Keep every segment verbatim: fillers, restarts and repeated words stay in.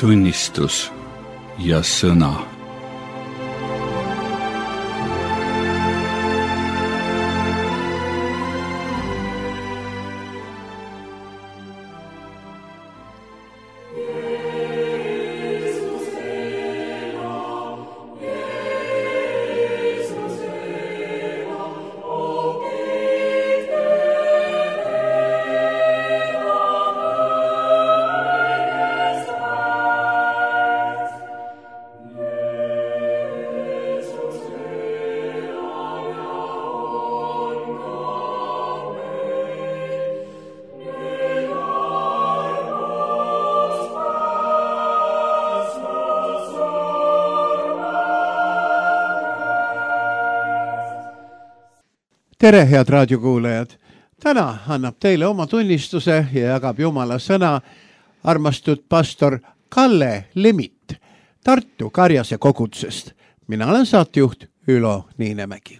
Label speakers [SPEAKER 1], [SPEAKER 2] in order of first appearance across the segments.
[SPEAKER 1] tunnistus ja sõna.
[SPEAKER 2] Tere, head raadiokuulajad! Täna annab teile oma tunnistuse ja jagab Jumala sõna armastud pastor Kalle Lemit Tartu Karjase kogudusest. Mina olen saatejuht Ülo Niinemägi.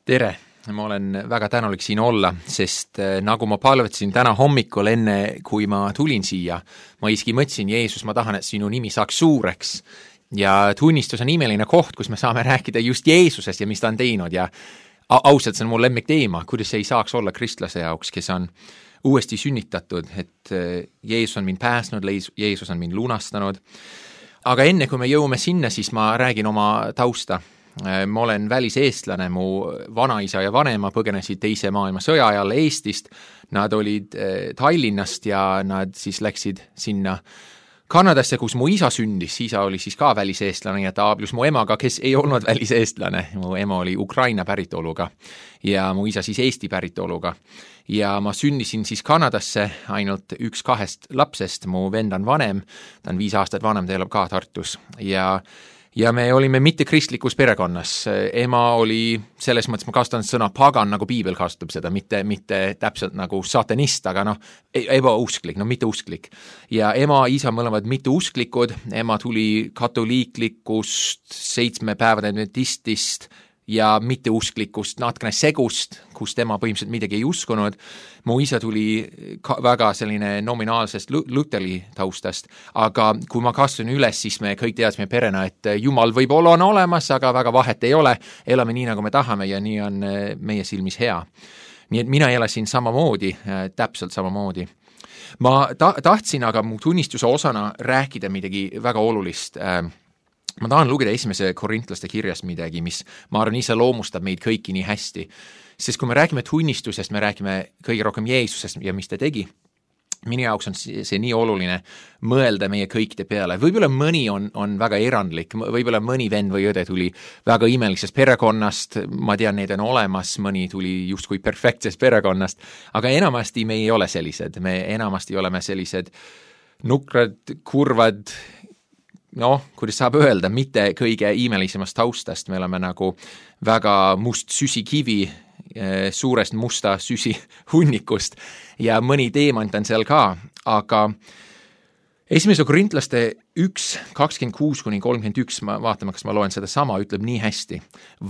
[SPEAKER 3] Tere! Ma olen väga tänulik siin olla, sest nagu ma palvetasin täna hommikul enne, kui ma tulin siia, ma iski mõtlesin, Jeesus, ma tahan, et sinu nimi saaks suureks. Ja tunnistus on imeline koht, kus me saame rääkida just Jeesusest ja mis ta on teinud ja ausalt, see on mul lemmik teema, kuidas see ei saaks olla kristlase jaoks, kes on uuesti sünnitatud, et Jeesus on mind pääsnud, Jeesus on mind lunastanud. Aga enne, kui me jõuame sinna, siis ma räägin oma tausta. Ma olen väliseestlane, mu vanaisa ja vanema põgenesid teise maailma sõja ajal Eestist. Nad olid Tallinnast ja nad siis läksid sinna Kanadasse, kus mu isa sündis, isa oli siis ka väliseestlane ja ta abielus mu emaga, kes ei olnud väliseestlane. Mu ema oli Ukraina päritoluga ja mu isa siis Eesti päritoluga. Ja ma sündisin siis Kanadasse ainult üks kahest lapsest, mu vend on vanem, ta on viis aastat vanem, ta elab ka Tartus ja Ja me olime mitte kristlikus perekonnas. Ema oli, selles mõttes ma kasutan sõna pagan, nagu piibel kasutab seda, mitte, mitte täpselt nagu satanist, aga noh, ebausklik, no mitte usklik. Ja ema, isa mõlemad mitte usklikud, ema tuli katoliiklikust, seitsme päevade adventistist ja mitte usklikust, natkene segust, kus tema põhimõtteliselt midagi ei uskunud. Mu isa tuli väga selline nominaalsest Luteri taustast, aga kui ma kasvasin üles, siis me kõik teadsime perena, et Jumal võib-olla on olemas, aga väga vahet ei ole, elame nii, nagu me tahame ja nii on meie silmis hea. Nii et mina elasin samamoodi, täpselt samamoodi. Ma ta- tahtsin aga mu tunnistuse osana rääkida midagi väga olulist. Ma tahan lugeda esimese korintlaste kirjast midagi, mis ma arvan ise loomustab meid kõiki nii hästi. Sest kui me räägime tunnistusest, me räägime kõige rohkem Jeesusest ja mis ta tegi. Minu jaoks on see nii oluline mõelda meie kõikide peale. Võib-olla mõni on, on väga erandlik, võib-olla mõni vend või õde tuli väga imelisest perekonnast, ma tean, need on olemas, mõni tuli just kui perfektsest perekonnast, aga enamasti me ei ole sellised, me enamasti oleme sellised nukrad, kurvad, noh, kuidas saab öelda, mitte kõige imelisemast taustast, me oleme nagu väga must süsikivi, suurest musta süsi hunnikust ja mõni teemant on seal ka, aga esimese korintlaste üks, kakskümmend kuus kuni kolmkümmend üks, ma vaatame, kas ma loen seda sama, ütleb nii hästi.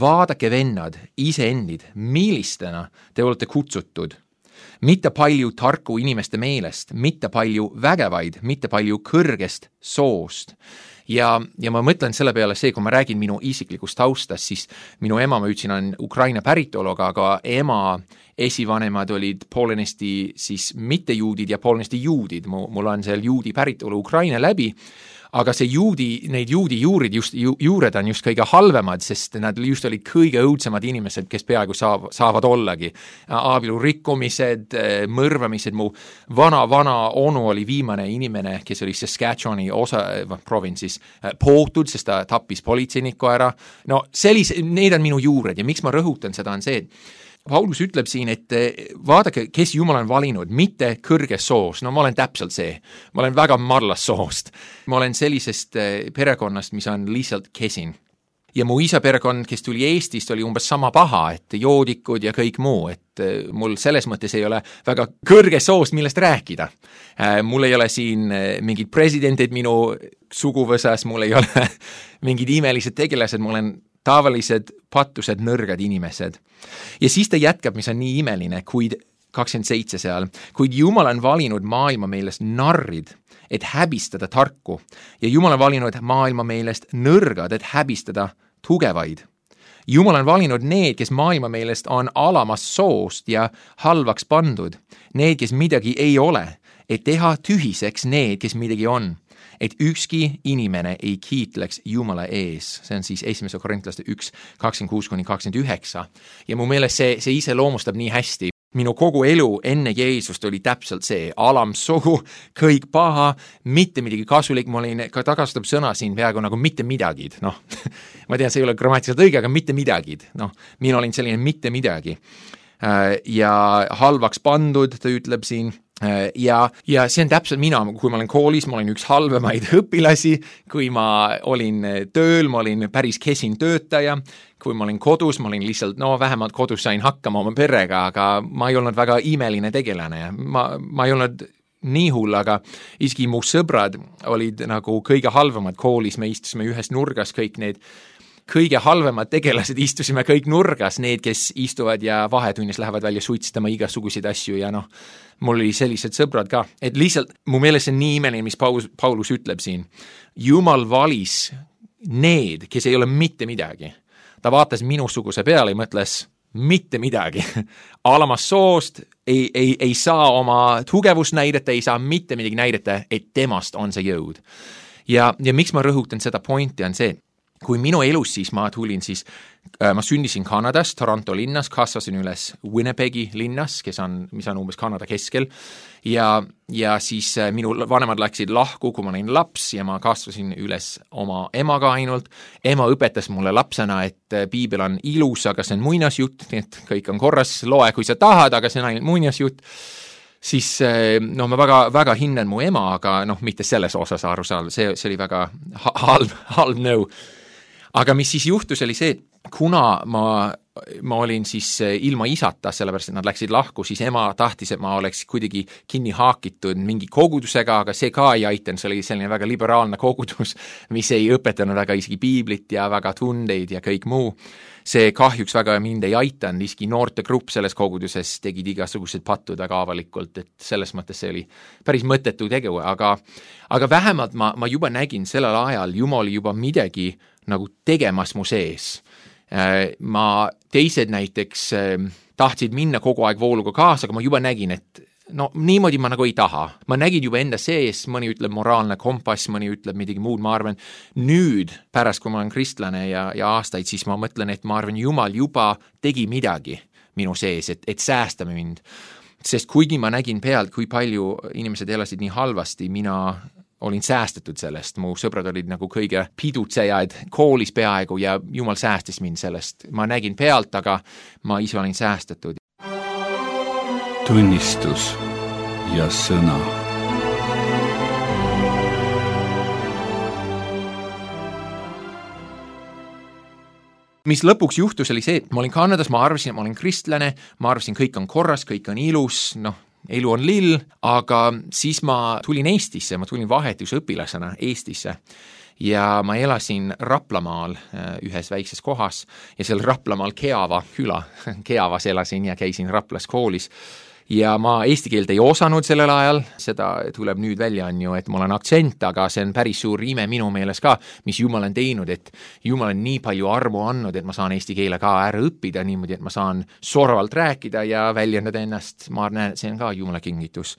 [SPEAKER 3] Vaadake vennad, iseendid, millistena te olete kutsutud. Mitte palju tarku inimeste meelest, mitte palju vägevaid, mitte palju kõrgest soost. Ja, ja ma mõtlen selle peale see, kui ma räägin minu isiklikust taustast, siis minu ema, ma ütlesin, on Ukraina päritoluga, aga ema esivanemad olid poolenisti siis mitte juudid ja poolenisti juudid. Mul on seal juudi päritolu Ukraina läbi, aga see juudi, neid juudi juurid, just, ju, juured on just kõige halvemad, sest nad just olid kõige õudsemad inimesed, kes peaaegu saab, saavad ollagi. Abielu rikkumised, mõrvamised, mu vana-vana onu oli viimane inimene, kes oli Saskatchewani osa, provinsis, pootud, sest ta tappis politseinikku ära. No sellise, need on minu juured ja miks ma rõhutan seda on see, et Paulus ütleb siin, et vaadake, kes Jumal on valinud, mitte kõrges soos. No ma olen täpselt see. Ma olen väga marlas soost. Ma olen sellisest perekonnast, mis on lihtsalt kesin. Ja mu isa perekond, kes tuli Eestist, oli umbes sama paha, et joodikud ja kõik muu, et mul selles mõttes ei ole väga kõrge soost, millest rääkida. Mul ei ole siin mingid presidendid minu suguvõsas, mul ei ole mingid imelised tegelased, mul on tavalised pattused, nõrgad inimesed. Ja siis ta jätkab, mis on nii imeline, kuid kakskümmend seitse seal, kuid Jumal on valinud maailma meelest narrid, et häbistada tarku ja Jumal on valinud maailma meelest nõrgad, et häbistada tugevaid. Jumal on valinud need, kes maailma meelest on alamast soost ja halvaks pandud, need, kes midagi ei ole, et teha tühiseks need, kes midagi on, et ükski inimene ei kiitleks Jumala ees. See on siis esimese Korintlaste üks, kakskümmend kuus kuni kakskümmend üheksa. Ja mu meelest see, see ise loomustab nii hästi. Minu kogu elu enne Jeesust oli täpselt see alamsohu, kõik paha, mitte midagi kasulik, ma olin ka tagastab sõna siin peaaegu nagu mitte midagi, noh, ma tean, see ei ole grammatiliselt õige, aga mitte midagi, noh, mina olin selline mitte midagi ja halvaks pandud, ta ütleb siin, ja, ja see on täpselt mina, kui ma olen koolis, ma olin üks halvemaid õpilasi, kui ma olin tööl, ma olin päris kesin töötaja, kui ma olin kodus, ma olin lihtsalt, no vähemalt kodus sain hakkama oma perega, aga ma ei olnud väga imeline tegelane. Ma, ma ei olnud nii hull, aga isegi mu sõbrad olid nagu kõige halvemad koolis, me istusime ühes nurgas, kõik need kõige halvemad tegelased istusime kõik nurgas, need, kes istuvad ja vahetunnis lähevad välja suitsitama igasuguseid asju ja noh, mul oli sellised sõbrad ka, et lihtsalt mu meelest see on nii imeline, mis Paulus, Paulus ütleb siin. Jumal valis need, kes ei ole mitte midagi. Ta vaatas minusuguse peale ja mõtles mitte midagi. Alamast soost ei, ei, ei saa oma tugevust näidata, ei saa mitte midagi näidata, et temast on see jõud. Ja, ja miks ma rõhutan seda pointi on see, kui minu elus siis ma tulin siis, äh, ma sündisin Kanadas, Toronto linnas, kasvasin üles Winnipegi linnas, kes on, mis on umbes Kanada keskel, ja, ja siis äh, minu vanemad läksid lahku, kui ma olin laps ja ma kasvasin üles oma emaga ainult. Ema õpetas mulle lapsena, et äh, piibel on ilus, aga see on muinasjutt, nii et kõik on korras, loe kui sa tahad, aga see on ainult muinasjutt. Siis no ma väga, väga hinnan mu ema, aga noh, mitte selles osas aru saada, see, see oli väga halb, halb nõu. Aga mis siis juhtus oli see, et kuna ma, ma olin siis ilma isata, sellepärast et nad läksid lahku, siis ema tahtis, et ma oleks kuidagi kinni haakitud mingi kogudusega, aga see ka ei aitanud, see oli selline väga liberaalne kogudus, mis ei õpetanud väga isegi piiblit ja väga tundeid ja kõik muu. See kahjuks väga mind ei aitanud, isegi noortegrupp selles koguduses tegid igasugused pattud väga avalikult, et selles mõttes see oli päris mõttetu tegu, aga, aga vähemalt ma, ma juba nägin sellel ajal, Jumal juba midagi nagu tegemas mu sees. Ma teised näiteks tahtsid minna kogu aeg vooluga kaasa, aga ma juba nägin, et no niimoodi ma nagu ei taha. Ma nägin juba enda sees, mõni ütleb moraalne kompass, mõni ütleb midagi muud, ma arvan, nüüd pärast, kui ma olen kristlane ja, ja aastaid, siis ma mõtlen, et ma arvan, Jumal juba tegi midagi minu sees, et, et säästame mind. Sest kuigi ma nägin pealt, kui palju inimesed elasid nii halvasti, mina olin säästetud sellest, mu sõbrad olid nagu kõige pidutsejad koolis peaaegu ja Jumal säästis mind sellest. Ma nägin pealt, aga ma ise olin säästetud.
[SPEAKER 1] Tunnistus ja sõna.
[SPEAKER 3] Mis lõpuks juhtus oli see, et ma olin Kanadas, ma arvasin, et ma olin kristlane, ma arvasin, kõik on korras, kõik on ilus, noh, elu on lill, aga siis ma tulin Eestisse, ma tulin vahetusõpilasena Eestisse ja ma elasin Raplamaal ühes väikses kohas ja seal Raplamaal Keava küla, Keavas elasin ja käisin Raplas koolis. Ja ma eesti keelt ei osanud sellel ajal, seda tuleb nüüd välja on ju, et mul on aktsent, aga see on päris suur ime minu meeles ka, mis Jumal on teinud, et Jumal on nii palju armu andnud, et ma saan eesti keele ka ära õppida niimoodi, et ma saan sorvalt rääkida ja väljendada ennast, ma näen, et see on ka Jumala kingitus.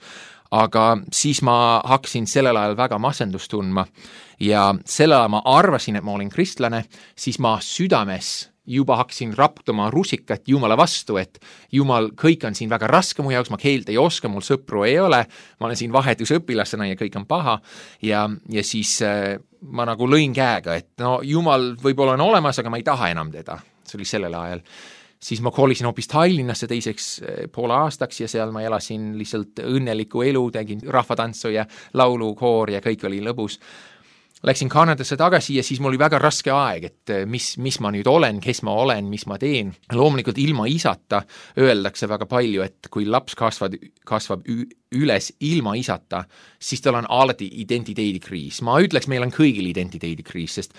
[SPEAKER 3] Aga siis ma hakkasin sellel ajal väga masendust tundma ja sellel ajal ma arvasin, et ma olin kristlane, siis ma südames juba hakkasin raptuma rusikat Jumala vastu, et Jumal, kõik on siin väga raske mu jaoks, ma keelt ei oska, mul sõpru ei ole, ma olen siin vahetusõpilasena ja kõik on paha ja, ja siis äh, ma nagu lõin käega, et no Jumal võib-olla on olemas, aga ma ei taha enam teda, see oli sellel ajal. Siis ma koolisin hoopis Tallinnasse teiseks poole aastaks ja seal ma elasin lihtsalt õnneliku elu, tegin rahvatantsu ja laulukoor ja kõik oli lõbus. Läksin Kanadasse tagasi ja siis mul oli väga raske aeg, et mis, mis ma nüüd olen, kes ma olen, mis ma teen. Loomulikult ilma isata öeldakse väga palju, et kui laps kasvad, kasvab üles ilma isata, siis tal on alati identiteedikriis. Ma ütleks, meil on kõigil identiteedikriis, sest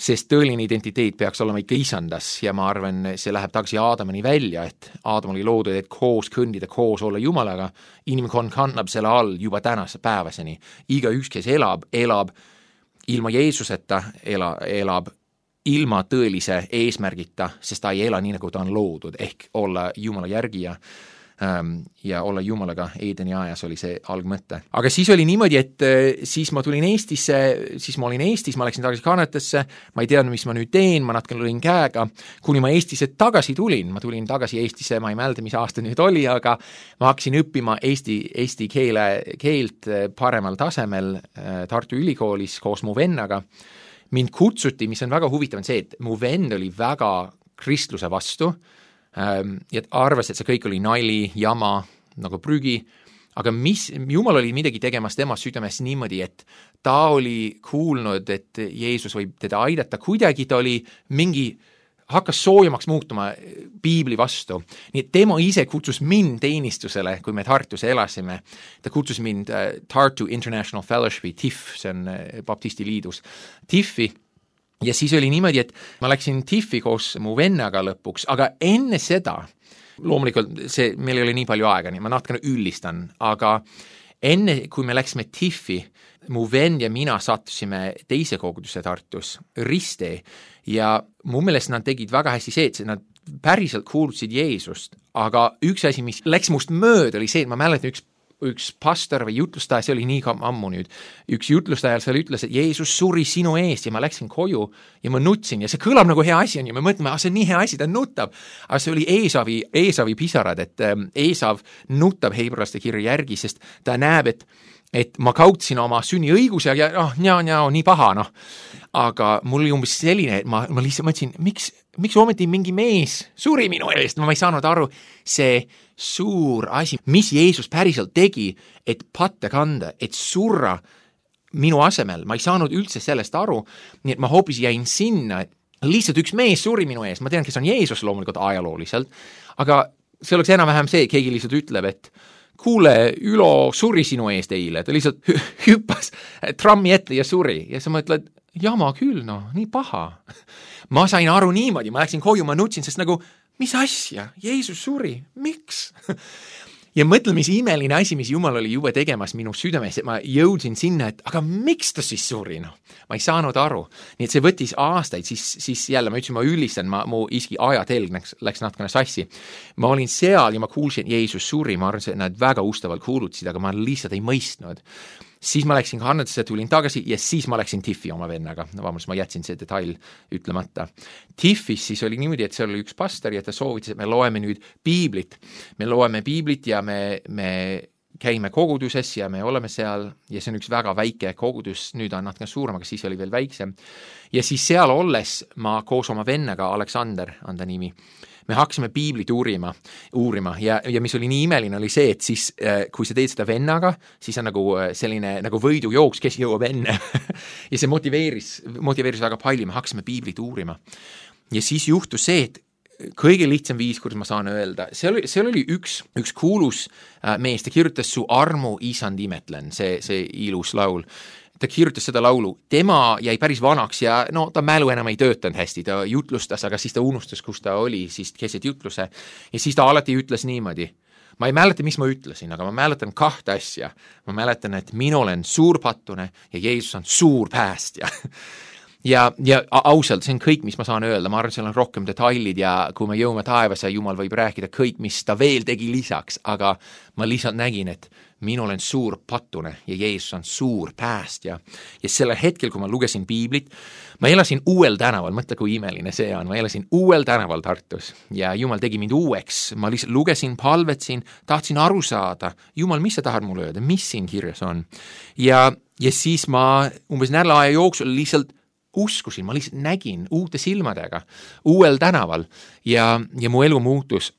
[SPEAKER 3] sest tõeline identiteet peaks olema ikka isandas ja ma arvan, see läheb tagasi Aadamani välja, et Aadam oli loodud, et koos kõndida, koos olla Jumalaga, inimkond kannab selle all juba tänase päevaseni. Igaüks, kes elab, elab ilma Jeesuseta, ela, elab ilma tõelise eesmärgita, sest ta ei ela nii, nagu ta on loodud, ehk olla Jumala järgija ja olla Jumalaga Eedeni ajas oli see algmõte. Aga siis oli niimoodi, et siis ma tulin Eestisse, siis ma olin Eestis, ma läksin tagasi Kanadasse, ma ei teadnud, mis ma nüüd teen, ma natuke lõin käega, kuni ma Eestisse tagasi tulin, ma tulin tagasi Eestisse, ma ei mälda, mis aasta nüüd oli, aga ma hakkasin õppima Eesti, Eesti keele, keelt paremal tasemel Tartu Ülikoolis koos mu vennaga. Mind kutsuti, mis on väga huvitav, on see, et mu vend oli väga kristluse vastu, ja arvas, et see kõik oli nali, jama, nagu prügi, aga mis, Jumal oli midagi tegemas tema südames niimoodi, et ta oli kuulnud, et Jeesus võib teda aidata, kuidagi ta oli mingi, hakkas soojemaks muutuma piibli vastu. Nii et tema ise kutsus mind teenistusele, kui me Tartus elasime. Ta kutsus mind Tartu International Fellowshipi, T I F, see on Baptisti liidus, T I F-i. Ja siis oli niimoodi, et ma läksin T I F-i koos mu vennaga lõpuks, aga enne seda, loomulikult see, meil ei ole nii palju aega, nii ma natukene üllistan, aga enne, kui me läksime T I F-i, mu vend ja mina sattusime teise koguduse Tartus, Riste, ja mu meelest nad tegid väga hästi see, et nad päriselt kuulutasid Jeesust, aga üks asi, mis läks must mööda, oli see, et ma mäletan üks üks pastor või jutlustaja, see oli nii ammu nüüd, üks jutlustajal seal ütles, et Jeesus suri sinu eest ja ma läksin koju ja ma nutsin ja see kõlab nagu hea asi on ja me mõtleme, ah, see on nii hea asi, ta nutab. Aga see oli Eesavi, Eesavi pisarad, et Eesav nutab heibrealaste kirja järgi, sest ta näeb, et, et ma kautsin oma sünniõiguse ja oh, njaa, njaa, nii paha, noh. Aga mul oli umbes selline, et ma, ma lihtsalt mõtlesin, miks, miks ometi mingi mees suri minu eest, ma ei saanud aru, see suur asi, mis Jeesus päriselt tegi, et patte kanda, et surra minu asemel, ma ei saanud üldse sellest aru, nii et ma hoopis jäin sinna, et lihtsalt üks mees suri minu ees, ma tean, kes on Jeesus loomulikult ajalooliselt, aga see oleks enam-vähem see, keegi lihtsalt ütleb, et kuule, Ülo suri sinu eest eile, ta lihtsalt hüppas trammi ette ja suri ja sa mõtled, jama küll, no, nii paha. Ma sain aru niimoodi, ma läksin koju, ma nutsin, sest nagu, mis asja, Jeesus suri, miks? Ja mõtlen, mis imeline asi, mis Jumal oli juba tegemas minu südames, et ma jõudsin sinna, et aga miks ta siis suri, noh? Ma ei saanud aru. Nii et see võttis aastaid, siis, siis jälle ma ütlesin, ma üllistan, ma, mu iski ajatelg läks, läks natukene sassi. Ma olin seal ja ma kuulsin, et Jeesus suri, ma arvan, et nad väga ustavalt kuulutasid, aga ma lihtsalt ei mõistnud. Siis ma läksin Kanadasse, tulin tagasi ja siis ma läksin T I F-i oma vennaga. Vabandust, ma jätsin see detail ütlemata. T I F-is siis oli niimoodi, et seal oli üks pastor ja ta soovitas, et me loeme nüüd piiblit. Me loeme piiblit ja me, me käime koguduses ja me oleme seal ja see on üks väga väike kogudus, nüüd on natuke suurem, aga siis oli veel väiksem. Ja siis seal olles ma koos oma vennaga, Aleksander on ta nimi, me hakkasime piiblit uurima, uurima ja, ja mis oli nii imeline oli see, et siis kui sa teed seda vennaga, siis on nagu selline nagu võidujooks, kes jõuab enne ja see motiveeris, motiveeris väga palju, me hakkasime piiblit uurima. Ja siis juhtus see, et kõige lihtsam viis, kuidas ma saan öelda, seal, seal oli üks, üks kuulus mees, ta kirjutas Su armu isand imetlen, see, see ilus laul. Ta kirjutas seda laulu, tema jäi päris vanaks ja no ta mälu enam ei töötanud hästi, ta jutlustas, aga siis ta unustas, kus ta oli, siis keset jutluse ja siis ta alati ütles niimoodi. Ma ei mäleta, mis ma ütlesin, aga ma mäletan kahte asja. Ma mäletan, et mina olen suur pattune ja Jeesus on suur päästja. Ja, ja ausalt, see on kõik, mis ma saan öelda, ma arvan, seal on rohkem detailid ja kui me jõume taevas ja Jumal võib rääkida kõik, mis ta veel tegi lisaks, aga ma lihtsalt nägin, et mina olen suur pattune ja Jeesus on suur päästja. Ja sellel hetkel, kui ma lugesin piiblit, ma elasin uuel tänaval, mõtle kui imeline see on, ma elasin uuel tänaval Tartus ja Jumal tegi mind uueks, ma lihtsalt lugesin, palvetsin, tahtsin aru saada, Jumal, mis sa tahad mulle öelda, mis siin kirjas on. Ja, ja siis ma umbes nädala aja jooksul lihtsalt uskusin, ma lihtsalt nägin uute silmadega uuel tänaval ja, ja mu elu muutus.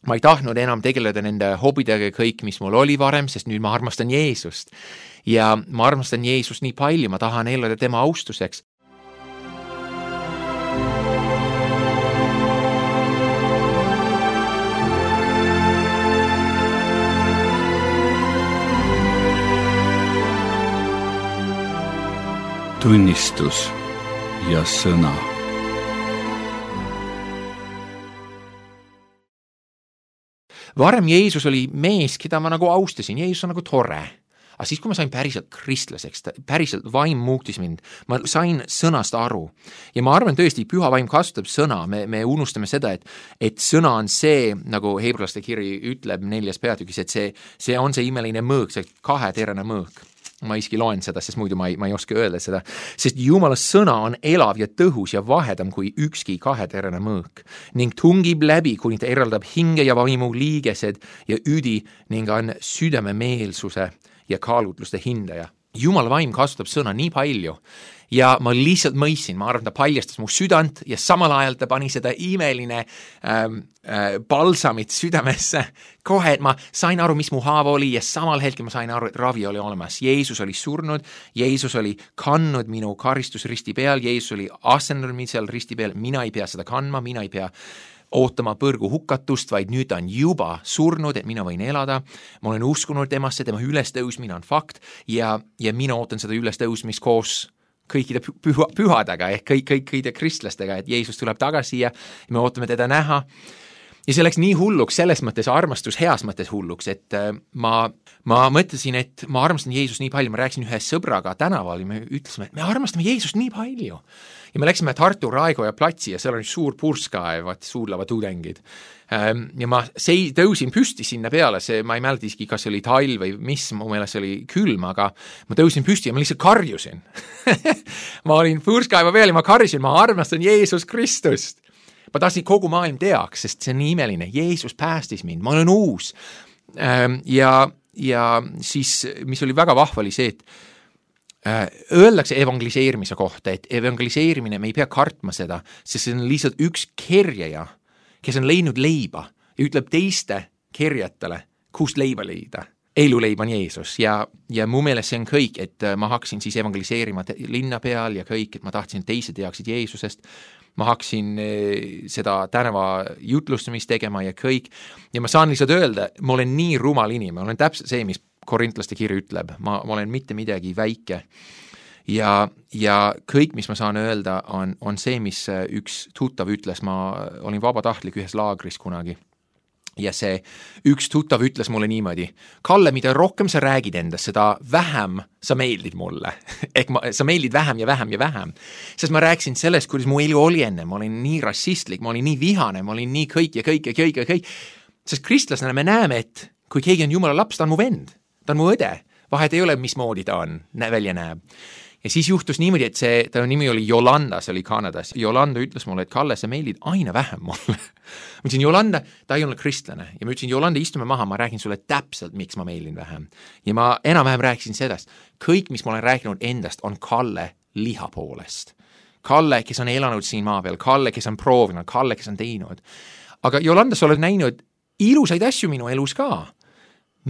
[SPEAKER 3] Ma ei tahtnud enam tegeleda nende hobidega kõik, mis mul oli varem, sest nüüd ma armastan Jeesust. Ja ma armastan Jeesust nii palju, ma tahan elada tema austuseks.
[SPEAKER 1] Tunnistus. ja sõna.
[SPEAKER 3] Varem Jeesus oli mees, keda ma nagu austasin, Jeesus on nagu tore. Aga siis, kui ma sain päriselt kristlaseks, päriselt vaim muutis mind, ma sain sõnast aru. Ja ma arvan tõesti, püha vaim kasutab sõna, me, me unustame seda, et, et sõna on see, nagu heebrealaste kiri ütleb neljas peatükis, et see, see on see imeline mõõk, see kaheterane mõõk. Ma iski loen seda, sest muidu ma ei, ma ei oska öelda seda, sest Jumala sõna on elav ja tõhus ja vahedam kui ükski kaheterane mõõk ning tungib läbi, kuni ta eraldab hinge ja vaimu liigesed ja üdi ning on südame meelsuse ja kaalutluste hindaja. Jumala vaim kasutab sõna nii palju ja ma lihtsalt mõistsin, ma arvan, ta paljastas mu südant ja samal ajal ta pani seda imeline ähm, äh, balsamit südamesse. Kohe, et ma sain aru, mis mu haav oli ja samal hetkel ma sain aru, et ravi oli olemas. Jeesus oli surnud, Jeesus oli kandnud minu karistus risti peal, Jeesus oli asendanud mind seal risti peal, mina ei pea seda kandma, mina ei pea ootama põrgu hukatust, vaid nüüd ta on juba surnud, et mina võin elada. Ma olen uskunud temasse, tema ülestõusmine on fakt ja, ja mina ootan seda ülestõusmist koos kõikide püha, pühadega ehk kõik, kõik, kõikide kristlastega, et Jeesus tuleb tagasi ja me ootame teda näha. Ja see läks nii hulluks, selles mõttes armastus, heas mõttes hulluks, et ma, ma mõtlesin, et ma armastan Jeesus nii palju, ma rääkisin ühe sõbraga tänaval ja me ütlesime, et me armastame Jeesust nii palju. Ja me läksime Tartu Raekoja platsi ja seal on suur purskaev, vaat suudlava tudengid. Ja ma sei, tõusin püsti sinna peale, see, ma ei mäleta iski, kas oli talv või mis, mu meelest oli külm, aga ma tõusin püsti ja ma lihtsalt karjusin. ma olin purskaeva peal ja ma karjusin, ma armastan Jeesus Kristust. Ma tahtsin kogu maailm teaks, sest see on nii imeline. Jeesus päästis mind, ma olen uus. Ja, ja siis, mis oli väga vahva, oli see, et öeldakse evangeliseerimise kohta, et evangeliseerimine, me ei pea kartma seda, sest see on lihtsalt üks kerjaja, kes on leidnud leiba ja ütleb teiste kerjatele, kust leiba leida. Eluleib on Jeesus ja, ja mu meelest see on kõik, et ma hakkasin siis evangeliseerima linna peal ja kõik, et ma tahtsin, et teised teaksid Jeesusest. Ma hakkasin seda tänava jutlustamist tegema ja kõik. Ja ma saan lihtsalt öelda, ma olen nii rumal inimene, ma olen täpselt see, mis korintlaste kiri ütleb, ma, ma olen mitte midagi väike ja, ja kõik, mis ma saan öelda, on, on see, mis üks tuttav ütles, ma olin vabatahtlik ühes laagris kunagi ja see üks tuttav ütles mulle niimoodi, Kalle, mida rohkem sa räägid endast, seda vähem sa meeldid mulle. Ehk ma, sa meeldid vähem ja vähem ja vähem. Sest ma rääkisin sellest, kuidas mu elu oli enne, ma olin nii rassistlik, ma olin nii vihane, ma olin nii kõik ja kõik ja kõik ja kõik. Sest kristlasena me näeme, et kui keegi on Jumala laps, ta on mu vend, ta on mu õde, vahet ei ole, mismoodi ta on, välja näeb. Ja siis juhtus niimoodi, et see, ta nimi oli Jolanda, see oli Kanadas. Jolanda ütles mulle, et Kalle, sa meeldid aina vähem mulle. Ma ütlesin, Jolanda, ta ei ole kristlane. Ja ma ütlesin, Jolanda, istume maha, ma räägin sulle täpselt, miks ma meeldin vähem. Ja ma enam-vähem rääkisin sellest. Kõik, mis ma olen rääkinud endast, on Kalle liha poolest. Kalle, kes on elanud siin maa peal, Kalle, kes on proovinud, Kalle, kes on teinud. Aga Jolanda, sa oled näinud ilusaid asju minu elus ka.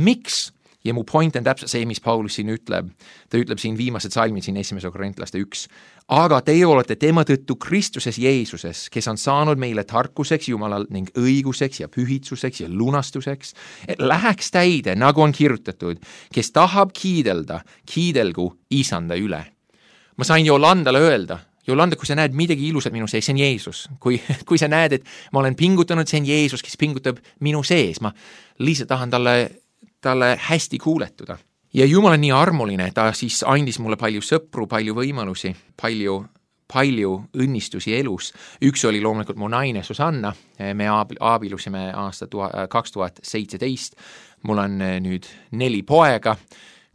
[SPEAKER 3] Miks? Ja mu point on täpselt see, mis Paulus siin ütleb. Ta ütleb siin viimased salmid, siin esimese korintlaste üks. Aga teie olete tema tõttu Kristuses Jeesuses, kes on saanud meile tarkuseks Jumalal ning õiguseks ja pühitsuseks ja lunastuseks, et läheks täide, nagu on kirjutatud, kes tahab kiidelda, kiidelgu isanda üle. Ma sain Jolandale öelda, Jolanda, kui sa näed midagi ilusat minu sees, see on Jeesus. Kui, kui sa näed, et ma olen pingutanud, see on Jeesus, kes pingutab minu sees. Ma lihtsalt tahan talle talle hästi kuuletuda. Ja Jumal on nii armuline, ta siis andis mulle palju sõpru, palju võimalusi, palju, palju õnnistusi elus. Üks oli loomulikult mu naine Susanna, me aabilusime aasta kaks tuhat seitseteist. Mul on nüüd neli poega,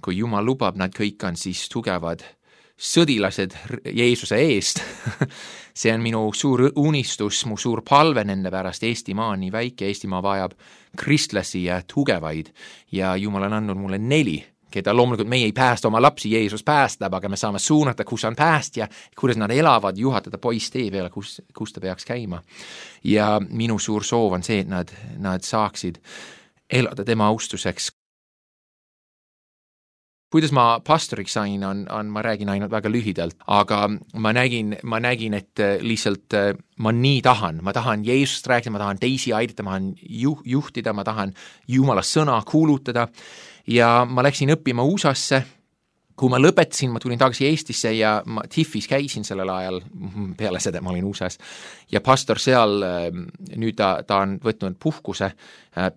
[SPEAKER 3] kui Jumal lubab, nad kõik on siis tugevad sõdilased Jeesuse eest. See on minu suur unistus, mu suur palve nende pärast. Eestimaa on nii väike, Eestimaa vajab kristlasi ja tugevaid ja Jumal on andnud mulle neli, keda loomulikult meie ei päästa oma lapsi, Jeesus päästab, aga me saame suunata, kus on päästja, kuidas nad elavad, juhatada poiss tee peale, kus, kus ta peaks käima. Ja minu suur soov on see, et nad, nad saaksid elada tema austuseks. Kuidas ma pastoriks sain, on, on, ma räägin ainult väga lühidalt, aga ma nägin, ma nägin, et lihtsalt ma nii tahan, ma tahan Jeesust rääkida, ma tahan teisi aidata, ma tahan juh, juhtida, ma tahan Jumala sõna kuulutada ja ma läksin õppima U S A-sse kui ma lõpetasin, ma tulin tagasi Eestisse ja ma Tifis käisin sellel ajal, peale seda ma olin U S A-s, ja pastor seal, nüüd ta, ta on võtnud puhkuse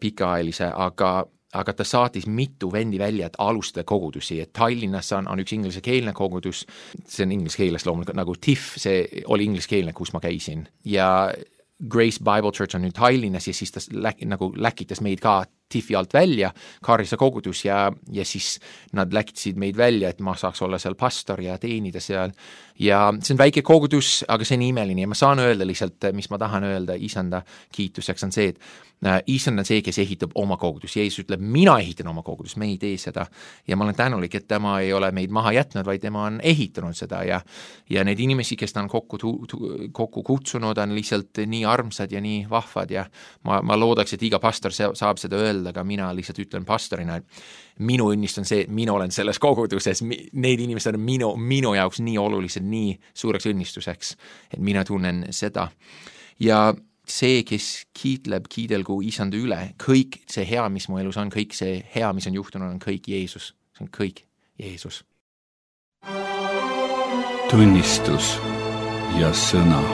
[SPEAKER 3] pikaajalise, aga, aga ta saatis mitu vendi välja, et alustada kogudusi, et Tallinnas on, on üks ingliskeelne kogudus, see on ingliskeeles loomulikult nagu T I F, see oli ingliskeelne, kus ma käisin, ja Grace Bible Church on nüüd Tallinnas ja siis ta läk, nagu läkitas meid ka T I F-i alt välja, Kaarlise kogudus ja, ja siis nad läkitasid meid välja, et ma saaks olla seal pastor ja teenida seal. Ja see on väike kogudus, aga see on imeline ja ma saan öelda lihtsalt, mis ma tahan öelda isanda kiituseks on see, et äh, isand on see, kes ehitab oma kogudus. Jeesus ütleb, mina ehitan oma kogudus, me ei tee seda. Ja ma olen tänulik, et tema ei ole meid maha jätnud, vaid tema on ehitanud seda ja, ja need inimesi, kes ta on kokku, tu, tu, kokku kutsunud, on lihtsalt nii armsad ja nii vahvad ja ma, ma loodaks, et iga pastor saab seda öelda, aga mina lihtsalt ütlen pastorina, et minu õnnist on see, et mina olen selles koguduses, need inimesed on minu, minu jaoks nii olulised, nii suureks õnnistuseks, et mina tunnen seda. Ja see, kes kiitleb, kiidelgu isanda üle, kõik see hea, mis mu elus on, kõik see hea, mis on juhtunud, on kõik Jeesus. See on kõik Jeesus.
[SPEAKER 1] Tunnistus ja sõna.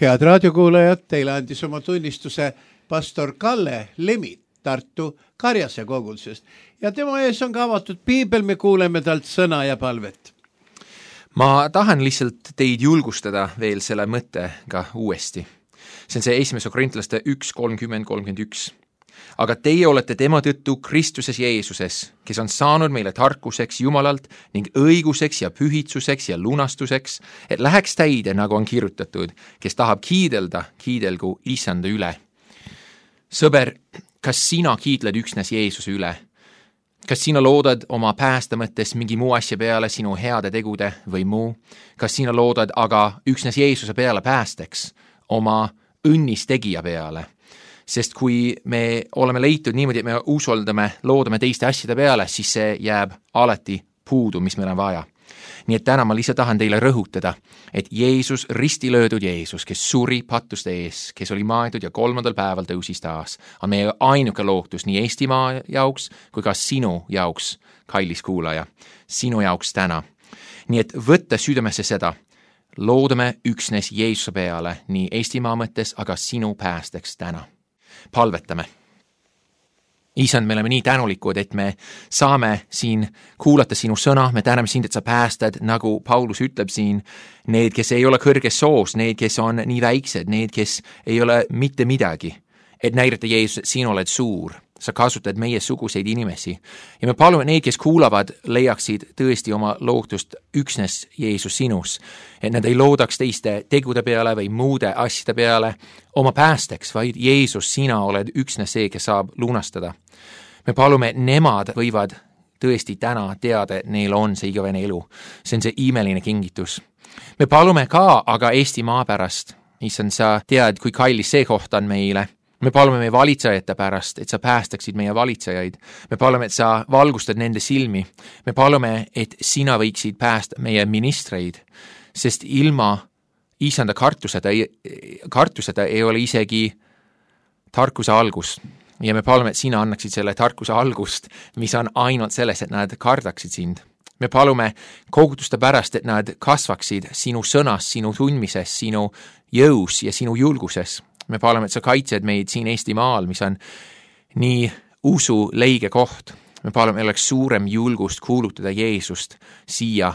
[SPEAKER 2] Head raadiokuulajad, teile andis oma tunnistuse pastor Kalle Lemit Tartu Karjase kogudusest ja tema ees on ka avatud piibel, me kuuleme talt sõna ja palvet.
[SPEAKER 3] Ma tahan lihtsalt teid julgustada veel selle mõttega uuesti. See on see esimese Korintlaste üks kolmkümmend kolmkümmend üks. Aga teie olete tema tõttu Kristuses Jeesuses, kes on saanud meile tarkuseks Jumalalt ning õiguseks ja pühitsuseks ja lunastuseks, et läheks täide, nagu on kirjutatud, kes tahab kiidelda, kiidelgu isanda üle. Sõber, kas sina kiidled üksnes Jeesuse üle? Kas sina loodad oma päästa mõttes mingi muu asja peale sinu heade tegude või muu? Kas sina loodad aga üksnes Jeesuse peale päästeks, oma õnnistegija peale? Sest kui me oleme leitud niimoodi, et me usaldame, loodame teiste asjade peale, siis see jääb alati puudu, mis meil on vaja. Nii et täna ma lihtsalt tahan teile rõhutada, et Jeesus, ristilöödud Jeesus, kes suri pattuste ees, kes oli maetud ja kolmandal päeval tõusis taas, on meie ainuke lootus nii Eestimaa jaoks kui ka sinu jaoks, kallis kuulaja, sinu jaoks täna. Nii et võtta südamesse seda, loodame üksnes Jeesuse peale nii Eestimaa mõttes, aga sinu päästeks täna. Palvetame. Isand, me oleme nii tänulikud, et me saame siin kuulata sinu sõna, me täname sind, et sa päästad, nagu Paulus ütleb siin, need, kes ei ole kõrges soos, need, kes on nii väiksed, need, kes ei ole mitte midagi, et näidata Jeesus, et sina oled suur, sa kasutad meie suguseid inimesi. Ja me palume need, kes kuulavad, leiaksid tõesti oma lootust üksnes Jeesus sinus, et nad ei loodaks teiste tegude peale või muude asjade peale oma päästeks, vaid Jeesus, sina oled üksnes see, kes saab lunastada. Me palume, et nemad võivad tõesti täna teada, et neil on see igavene elu. See on see imeline kingitus. Me palume ka aga Eestimaa pärast, issand, sa tead, kui kallis see koht on meile. Me palume meie valitsejate pärast, et sa päästaksid meie valitsejaid. Me palume, et sa valgustad nende silmi. Me palume, et sina võiksid päästa meie ministreid, sest ilma isanda kartuseta, kartuseta ei ole isegi tarkuse algust. Ja me palume, et sina annaksid selle tarkuse algust, mis on ainult selles, et nad kardaksid sind. Me palume koguduste pärast, et nad kasvaksid sinu sõnas, sinu tundmises, sinu jõus ja sinu julguses. Me palume, et sa kaitsed meid siin Eestimaal, mis on nii usu leige koht. Me palume, et oleks suurem julgust kuulutada Jeesust siia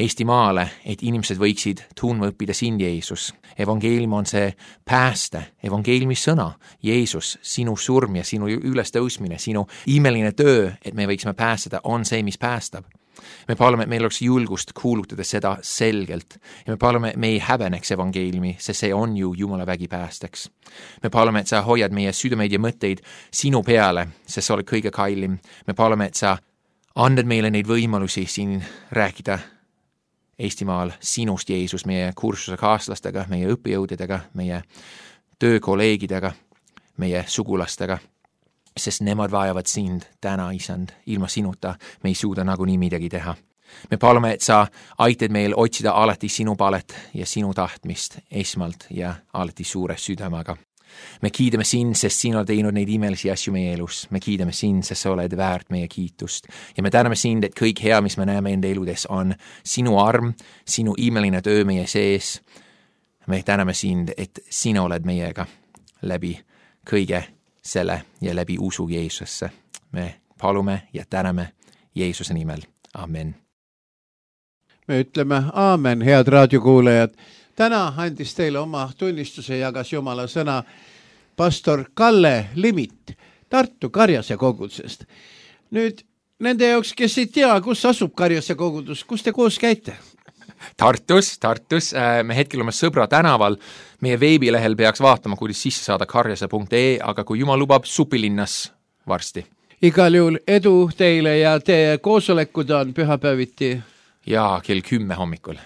[SPEAKER 3] Eestimaale, et inimesed võiksid tundma õppida sind, Jeesus. Evangeelium on see pääste, evangeeliumi sõna, Jeesus, sinu surm ja sinu ülestõusmine, sinu imeline töö, et me võiksime päästada, on see, mis päästab. Me palume, et meil oleks julgust kuulutada seda selgelt ja me palume, et me ei häbeneks evangeeliumi, sest see on ju Jumala vägi päästeks. Me palume, et sa hoiad meie südameid ja mõtteid sinu peale, sest sa oled kõige kallim. Me palume, et sa andad meile neid võimalusi siin rääkida Eestimaal sinust, Jeesus, meie kursuse kaaslastega, meie õppejõudidega, meie töökolleegidega, meie sugulastega, sest nemad vajavad sind täna, isand. Ilma sinuta me ei suuda nagunii midagi teha. Me palume, et sa aitad meil otsida alati sinu palet ja sinu tahtmist esmalt ja alati suure südamega. me kiidame sind, sest sina oled teinud neid imelisi asju meie elus. Me kiidame sind, sest sa oled väärt meie kiitust. Ja me täname sind, et kõik hea, mis me näeme enda eludes, on sinu arm, sinu imeline töö meie sees. Me täname sind, et sina oled meiega läbi kõige selle ja läbi usu Jeesusesse. Me palume ja täname Jeesuse nimel. Amen.
[SPEAKER 2] Me ütleme aamen, head raadiokuulajad. Täna andis teile oma tunnistuse, jagas Jumala sõna pastor Kalle Limit Tartu Karjase kogudusest. Nüüd nende jaoks, kes ei tea, kus asub Karjase kogudus, kus te koos käite?
[SPEAKER 3] Tartus, Tartus. Me hetkel oleme Sõbra tänaval. Meie veebilehel peaks vaatama, kuidas sisse saada karjase punkt ee, aga kui Jumal lubab, Supilinnas varsti.
[SPEAKER 2] Igal juhul edu teile ja teie koosolekud on pühapäeviti.
[SPEAKER 3] Ja kell kümme hommikul.